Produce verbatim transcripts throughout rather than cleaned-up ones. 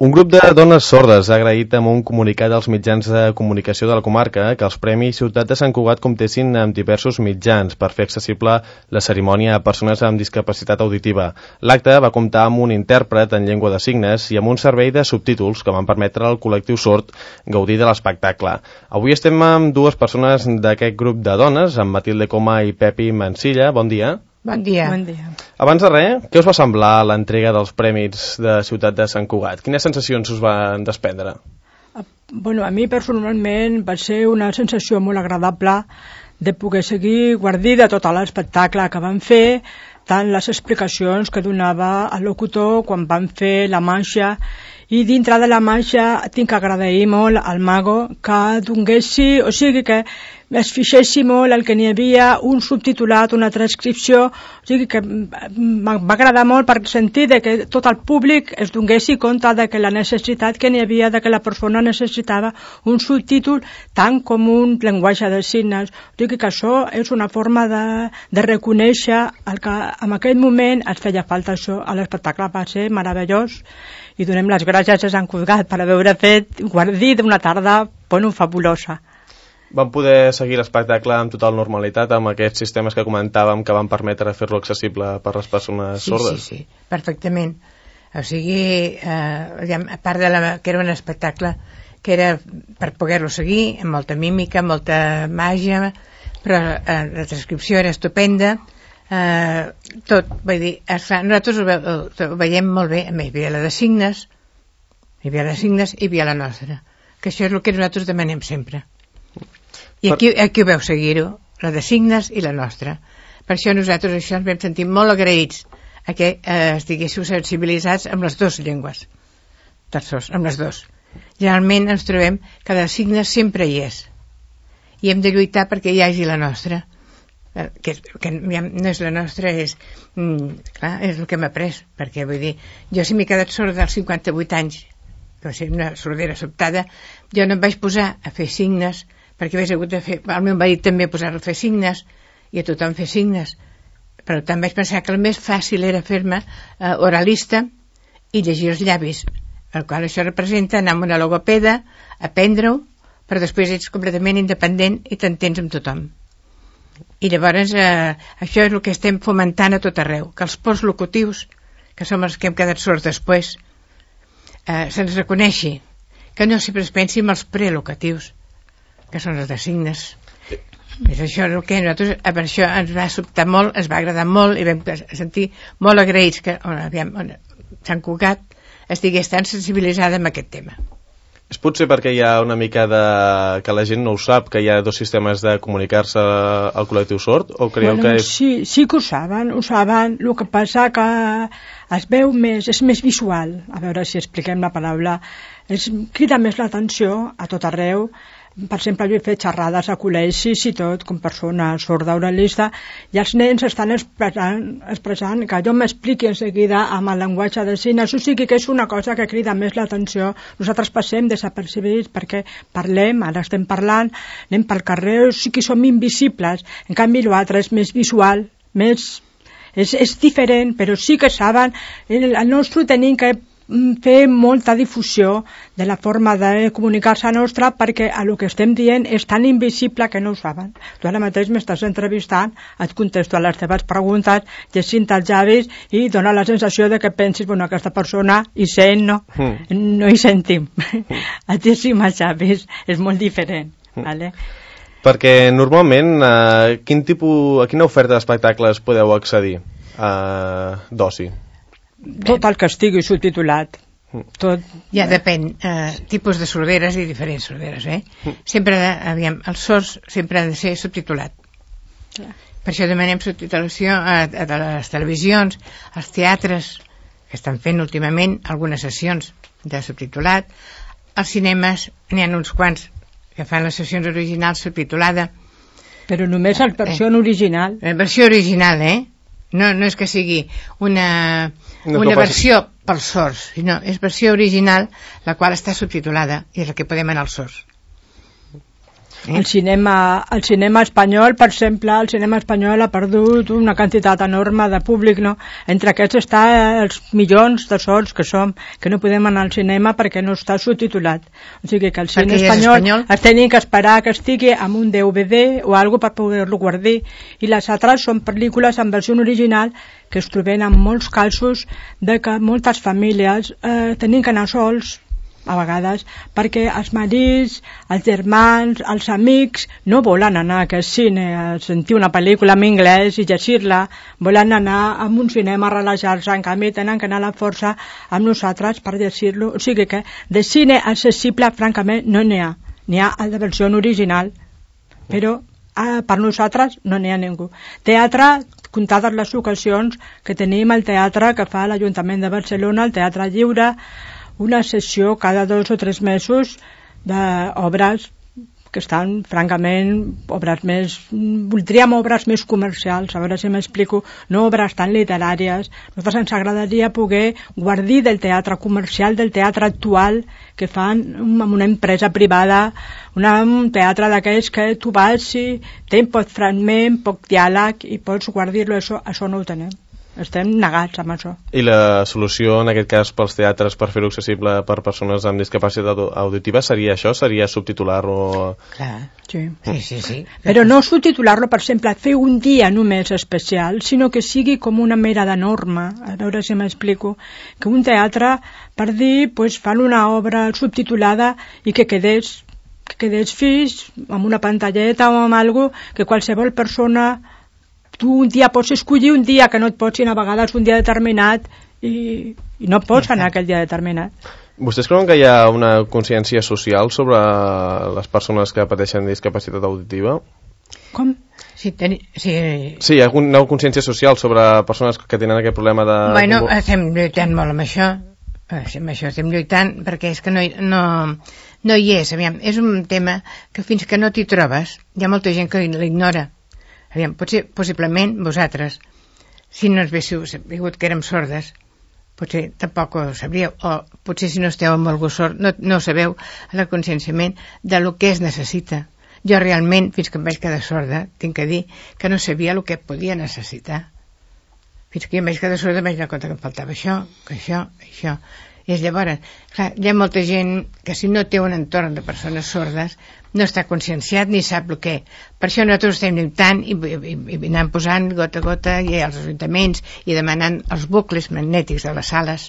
Un grup de dones sordes ha agraït amb un comunicat als mitjans de comunicació de la comarca que els Premis Ciutat de Sant Cugat comptessin amb diversos mitjans per fer accessible la cerimònia a persones amb discapacitat auditiva. L'acte va comptar amb un intèrpret en llengua de signes i amb un servei de subtítols que van permetre al col·lectiu sord gaudir de l'espectacle. Avui estem amb dues persones d'aquest grup de dones, amb Matilde Coma i Pepi Mansilla. Bon dia. Bon dia. Bon dia. Abans de res, què us va semblar l'entrega dels Premis de Ciutat de Sant Cugat? Quines sensacions us van desprendre? Bueno, a mi personalment va ser una sensació molt agradable de poder seguir guardir de tot l'espectacle que van fer, tant les explicacions que donava el locutor quan van fer la marxa, i dintre de la marxa tinc que agrair molt al Mago que donguessi, o sigui que es fixessi molt el que n'hi havia, un subtitulat, una transcripció, o sigui que va agradar molt per sentir de que tot el públic es donguessi compte de que la necessitat que n'hi havia, de que la persona necessitava un subtítol tant com un llenguatge de signes. O sigui que això és una forma de, de reconèixer el que en aquell moment es feia falta això. L'espectacle va ser meravellós i donem les gràcies a Sant Cugat per haver fet guardir d'una tarda, bueno, fabulosa. Van poder seguir l'espectacle amb total normalitat amb aquests sistemes que comentàvem que van permetre fer-lo accessible per les persones sí, sordes? Sí, sí, perfectament. O sigui, eh, a part de la, que era un espectacle que era per poder-lo seguir, amb molta mímica, amb molta màgia, però eh, la transcripció era estupenda, eh, tot, vull dir, esclar, nosaltres ho, ve, ho veiem molt bé, hi havia la de signes, hi havia la de signes i hi havia la nostra, que això és el que nosaltres demanem sempre. I aquí, aquí ho veu seguir-ho, la de signes i la nostra. Per això nosaltres això ens vam sentir molt agraïts a que eh, estiguéssiu sensibilitzats amb les dues llengües, terços, amb les dues. Generalment ens trobem que la de signes sempre hi és i hem de lluitar perquè hi hagi la nostra, que, que no és la nostra, és, mm, clar, és el que m'ha après, perquè vull dir, jo si m'he quedat sorda als cinquanta-vuit anys, que va ser una sordera sobtada, jo no em vaig posar a fer signes perquè hagués hagut de fer, el meu marit també posar a fer signes i a tothom fer signes, per tant vaig pensar que el més fàcil era fer-me eh, oralista i llegir els llavis, el qual això representa anar amb una logopeda, aprendre-ho, però després ets completament independent i t'entens amb tothom. I llavors eh, això és el que estem fomentant a tot arreu, que els postlocutius, que som els que hem quedat sords després, eh, se'ns reconeixi, que no sempre es pensi en els prelocatius, que són els de signes. És això el que nosaltres, per això ens va sobtar molt, ens va agradar molt i vam sentir molt agraïts que on, aviam, on Sant Cugat estigués tan sensibilitzada amb aquest tema. És potser perquè hi ha una mica de... que la gent no ho sap, que hi ha dos sistemes de comunicar-se al col·lectiu sord, o creieu bueno, que és... Sí, sí que ho saben, ho saben, el que passa que es veu més, és més visual, a veure si expliquem la paraula, es crida més l'atenció a tot arreu. Per exemple, jo he fet xerrades a col·legis i tot, com persona sorda oralista, i els nens estan expressant, expressant que jo m'expliqui en seguida amb el llenguatge de signes, o sigui que és una cosa que crida més l'atenció. Nosaltres passem desapercibits perquè parlem, ara estem parlant, anem pel carrer, o sigui que som invisibles. En canvi, l'altre és més visual, més... És, és diferent, però sí que saben, el, el nostre tenim que fer molta difusió de la forma de comunicar-se nostra perquè a lo que estem dient és tan invisible que no ho saben. Tu ara mateix m'estàs entrevistant, et contesto a les teves preguntes, llegint els llavis i dona la sensació de que pensis, bueno, aquesta persona hi sent, no, mm. no hi sentim. Mm. Et llegim els llavis, és molt diferent. Mm. Vale? Perquè normalment eh, quin tipus, a quina oferta d'espectacles podeu accedir eh, d'oci? Tot el que estigui subtitulat. Tot. Ja depèn, eh, tipus de sorderes i diferents sorderes, eh? Sempre, aviam, els sords sempre han de ser subtitulat. Clar. Per això demanem subtitulació a, a les televisions, als teatres, que estan fent últimament algunes sessions de subtitulat. Als cinemes n'hi ha uns quants que fan les sessions originals subtitulada. Però només la versió eh, original. La versió original, eh? No, no és que sigui una, una versió pels sords, sinó és versió original, la qual està subtitulada i és la que podem anar als sords. El cinema, el cinema espanyol, per exemple, el cinema espanyol ha perdut una quantitat enorme de públic, no? Entre aquests està els milions de sords que som, que no podem anar al cinema perquè no està subtitulat. O sigui que el cine espanyol, espanyol es tenen que esperar que estigui amb un D V D o algo per poder-lo guardar. I les altres són pel·lícules en versió original que es troben en molts casos de que moltes famílies eh, tenen que anar sols a vegades, perquè els marits, els germans, els amics no volen anar a aquest cine a sentir una pel·lícula en anglès i llegir-la, volen anar a un cinema a relaxar-se, en canvi tenen que anar a la força amb nosaltres per llegir-lo. O sigui que de cine accessible francament no n'hi ha, n'hi ha el de versió original, però eh, per nosaltres no n'hi ha ningú. Teatre, comptades les ocasions que tenim el teatre que fa l'Ajuntament de Barcelona, el Teatre Lliure, una sessió cada dos o tres mesos d'obres que estan, francament, obres més... Voldríem obres més comercials, a veure si m'explico, no obres tan literàries. A nosaltres ens agradaria poder guardir del teatre comercial, del teatre actual, que fan amb una empresa privada, una, un teatre d'aquells que tu vas i tens poc fragment, poc diàleg, i pots guardir-lo, això, això no ho tenem. Estem negats amb això. I la solució, en aquest cas, pels teatres per fer-ho accessible per persones amb discapacitat auditiva seria això? Seria subtitular-lo? Clar, sí. Sí, sí, sí. Però no subtitular-lo, per exemple, fer un dia només especial, sinó que sigui com una mera de norma, a veure si m'explico, que un teatre, per dir, pues, fan una obra subtitulada i que quedés, que quedés fix amb una pantalleta o amb alguna cosa que qualsevol persona... Tu un dia pots escollir un dia que no et pots ir a vegades un dia determinat i, i no pots anar aquell dia determinat. Vostès creuen que hi ha una consciència social sobre les persones que pateixen discapacitat auditiva? Com? Sí, ten... sí. sí, hi ha una consciència social sobre persones que tenen aquest problema de... Bueno, estem lluitant molt amb això. Amb això estem lluitant perquè és que no, no, no hi és. Aviam, és un tema que fins que no t'hi trobes hi ha molta gent que l'ignora. Aviam, potser, possiblement vosaltres, si no ens haguéssiu sabut que érem sordes, potser tampoc ho sabríeu, o potser si no esteu amb algú sord, no, no sabeu el conscienciament de lo que es necessita. Jo realment, fins que em vaig quedar sorda, tinc que dir que no sabia el que podia necessitar. Fins que em vaig quedar sorda em vaig donar compte que em faltava això, que això, això. I llavors, clar, hi ha molta gent que si no té un entorn de persones sordes no està conscienciat ni sap el què. Per això nosaltres estem lluitant i, i, i anant posant gota a gota i als ajuntaments i demanant els bucles magnètics de les sales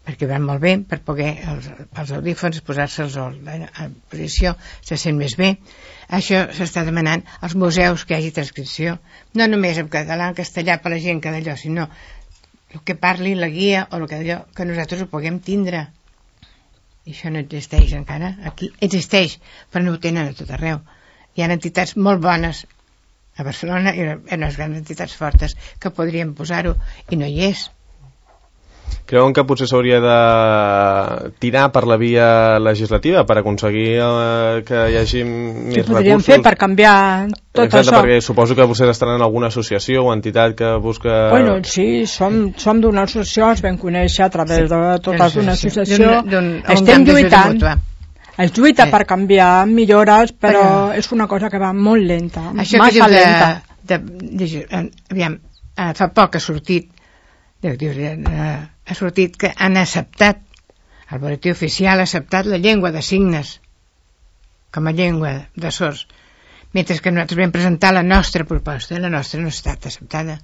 perquè van molt bé per poder els, els audífons posar-se'ls a posició, se sent més bé. Això s'està demanant als museus que hi hagi transcripció, no només en català, en castellà per la gent que d'allò, sinó el que parli la guia o el que, allò, que nosaltres ho puguem tindre. I això no existeix encara. Aquí existeix, però no ho tenen a tot arreu. Hi ha entitats molt bones a Barcelona i unes grans entitats fortes que podrien posar-ho i no hi és. Creuen que potser s'hauria de tirar per la via legislativa per aconseguir eh, que hi hagi més recursos? Què podríem fer per canviar tot Exacte, això? Perquè suposo que vostès estaran en alguna associació o entitat que busca... Bueno, sí, som, som d'una associació, ens vam conèixer a través sí, de totes d'una associació. Estem lluitant. Es lluita sí. per canviar millores, però, però és una cosa que va molt lenta, això massa de, lenta. De, de, de, aviam, fa poc ha sortit de, de, de, ha sortit que han acceptat, el boletí oficial ha acceptat la llengua de signes com a llengua de sords, mentre que nosaltres vam presentar la nostra proposta, la nostra no ha estat acceptada.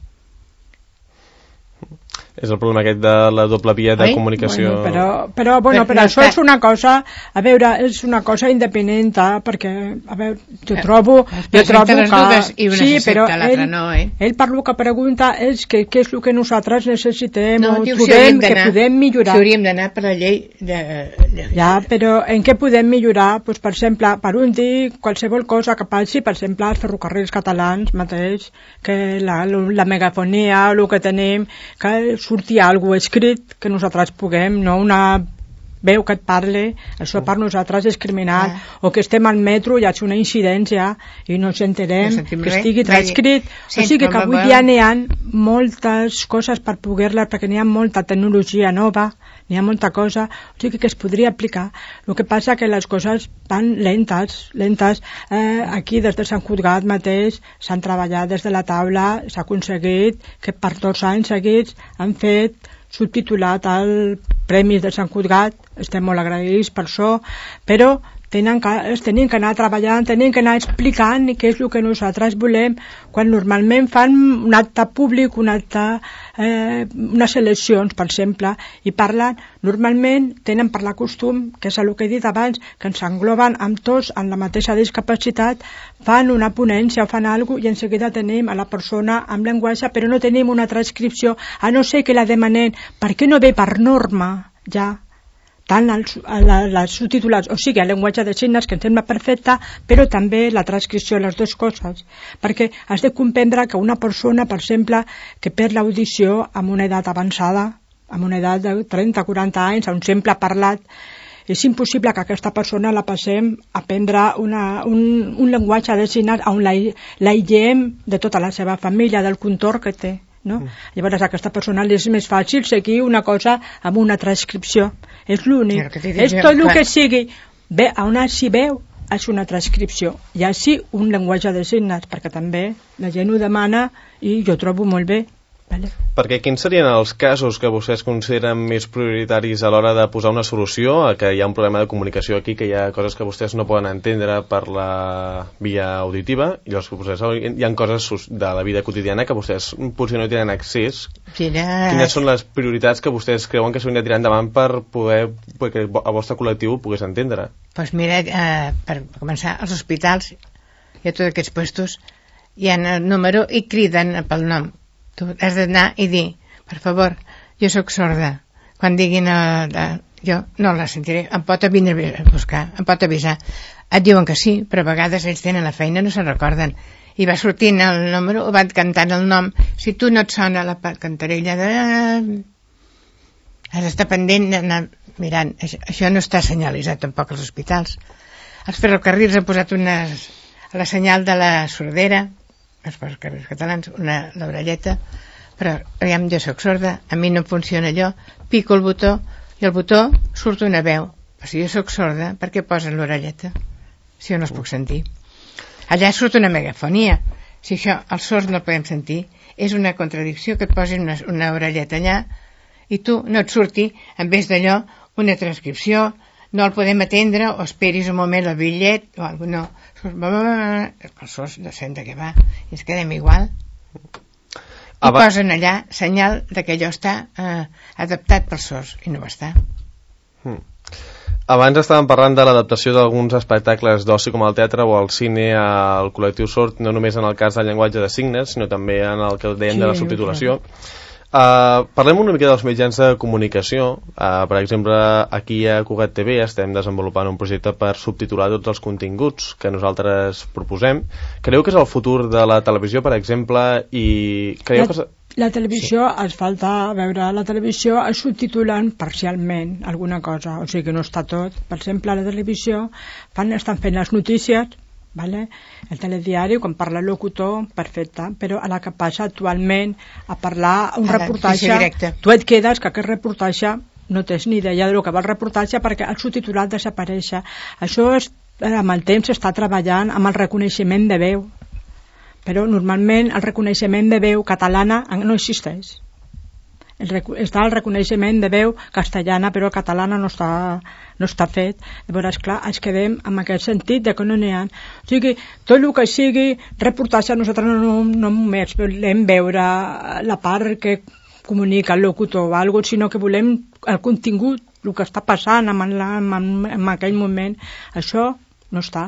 És el problema aquest de la doble via de Oi? comunicació. Bueno, però, però, bueno, però, però això és una cosa, a veure, és una cosa independent, perquè, a veure, jo trobo, jo trobo que... I una sí, però ell, no, eh? ell per lo que pregunta és que què és el que nosaltres necessitem no, o diu, trobem si que podem millorar. Si hauríem d'anar per la llei de, de... Ja, però en què podem millorar? Pues, per exemple, per un dir qualsevol cosa que passi, per exemple, els ferrocarrils catalans mateix, que la, la megafonia o el que tenim, que surti alguna escrit que nosaltres puguem, no una veu que et parli, això per nosaltres és criminal. Ah. O que estem al metro i hi ha una incidència i no ens enterem, no que estigui transcrit. O sigui que avui dia n'hi ha moltes coses per poder-les, perquè n'hi ha molta tecnologia nova, n'hi ha molta cosa, o sigui que es podria aplicar. El que passa que les coses van lentes, lentes. Eh, aquí des de Sant Cugat mateix s'han treballat des de la taula, s'ha aconseguit que per dos anys seguits han fet subtitulat el Premi de Sant Cugat, estem molt agraïts per això, però tenen que, tenen que anar treballant, tenen que anar explicant què és el que nosaltres volem, quan normalment fan un acte públic, un acte, eh, unes eleccions, per exemple, i parlen, normalment tenen per la costum, que és el que he dit abans, que ens engloben amb tots en la mateixa discapacitat, fan una ponència o fan alguna cosa i en seguida tenim a la persona amb llenguatge, però no tenim una transcripció, a no ser que la demanem, per què no ve per norma, ja, tant els, els subtitulats, o sigui, el llenguatge de signes, que em sembla perfecte, però també la transcripció, les dues coses, perquè has de comprendre que una persona, per exemple, que perd l'audició amb una edat avançada, amb una edat de trenta o quaranta anys, a un simple parlat, és impossible que aquesta persona la passem a aprendre una, un, un llenguatge de signes on l'aïllem de tota la seva família, del contorn que té. No? Mm. Llavors a aquesta persona li és més fàcil seguir una cosa amb una transcripció, és l'únic, és tot el que sigui bé, on s'hi veu és una transcripció i així un llenguatge de signes, perquè també la gent ho demana i jo trobo molt bé. Vale. Perquè quins serien els casos que vostès consideren més prioritaris a l'hora de posar una solució a que hi ha un problema de comunicació aquí, que hi ha coses que vostès no poden entendre per la via auditiva i llavors vostès, hi ha coses de la vida quotidiana que vostès potser no tenen accés? Quina... Quines són les prioritats que vostès creuen que s'haurien de tirar endavant per poder que el vostre col·lectiu ho pogués entendre? Doncs pues mira, eh, per començar, als hospitals i a tots aquests puestos hi ha el número i criden pel nom. Tu has d'anar i dir, per favor, jo sóc sorda, quan diguin a, a, jo no la sentiré, em pot vindre a buscar, em pot avisar, et diuen que sí, però a vegades ells tenen la feina, no se'n recorden, i va sortint el número, o van cantant el nom, si tu no et sona la cantarella de... has d'estar pendent d'anar mirant, això, això no està senyalitzat tampoc als hospitals. Els ferrocarrils han posat unes, a la senyal de la sordera, els ferrocarrils catalans, una l'orelleta, però aviam, jo soc sorda, a mi no funciona allò, pico el botó i el botó surt una veu, però si jo soc sorda, per què posen l'orelleta si jo no els puc sentir? Allà surt una megafonia, si això els sords no el podem sentir, és una contradicció que et posin una, una orelleta allà i tu no et surti, en vez d'allò, una transcripció, no el podem atendre, o esperis un moment el bitllet, o alguna cosa, els sords no sent de què va, i ens quedem igual. I Aba... posen allà senyal de que allò està eh, adaptat pels sords, i no ho està. Hmm. Abans estàvem parlant de l'adaptació d'alguns espectacles d'oci com el teatre o el cine al col·lectiu sord, no només en el cas del llenguatge de signes, sinó també en el que dèiem sí, de la subtitulació. Uh, parlem una mica dels mitjans de comunicació. Uh, per exemple, aquí a Cugat T V estem desenvolupant un projecte per subtitular tots els continguts que nosaltres proposem. Creieu que és el futur de la televisió, per exemple, i creieu la, que... La televisió, sí. Es falta veure, la televisió es subtitulen parcialment alguna cosa, o sigui que no està tot. Per exemple, a la televisió fan, estan fent les notícies, vale? El telediari, quan parla el locutor, perfecte, però a la que passa actualment a parlar un a reportatge, tu et quedes que aquest reportatge no tens ni idea del que va el reportatge perquè el subtitulat desapareix. Això és, amb el temps s'està treballant amb el reconeixement de veu, però normalment el reconeixement de veu catalana no existeix. El rec està el reconeixement de veu castellana, però catalana no està, no està fet. Llavors, clar, ens quedem amb aquest sentit de que no n'hi ha. O sigui, tot el que sigui reportatge, nosaltres no, no, no només volem veure la part que comunica el locutor o alguna cosa, sinó que volem el contingut, el que està passant en, la, en, en aquell moment. Això no està.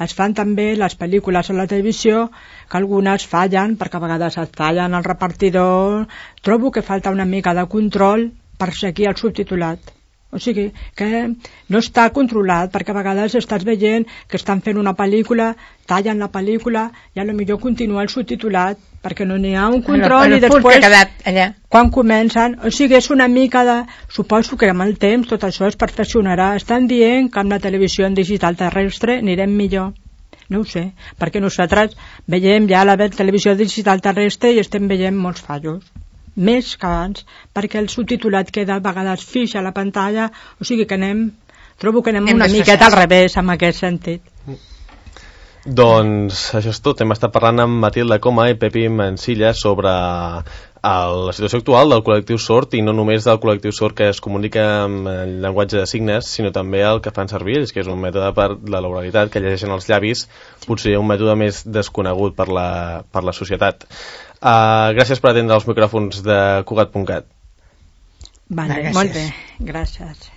Es fan també les pel·lícules a la televisió, que algunes fallen, perquè a vegades et fallen el repartidor. Trobo que falta una mica de control per seguir el subtitulat. O sigui, que no està controlat, perquè a vegades estàs veient que estan fent una pel·lícula, tallen la pel·lícula i a lo millor continua el subtitulat perquè no n'hi ha un control el, el i després que ha quedat allà. Quan comencen, o sigui, és una mica de suposo que amb el temps tot això es perfeccionarà. Estan dient que amb la televisió en digital terrestre anirem millor, no ho sé, perquè nosaltres veiem ja la televisió digital terrestre i estem veient molts fallos, més que abans, perquè el subtitulat queda a vegades fix a la pantalla, o sigui que anem trobo que anem, anem una miqueta al revés en aquest sentit. Doncs això és tot. Hem estat parlant amb Matilde Coma i Pepi Mansilla sobre el, la situació actual del col·lectiu sord, i no només del col·lectiu sord que es comunica amb el llenguatge de signes, sinó també el que fan servir ells, que és un mètode per la l'oralitat, que llegeixen els llavis, potser un mètode més desconegut per la, per la societat. Uh, gràcies per atendre els micròfons de Cugat punt cat. Vale, molt bé, gràcies.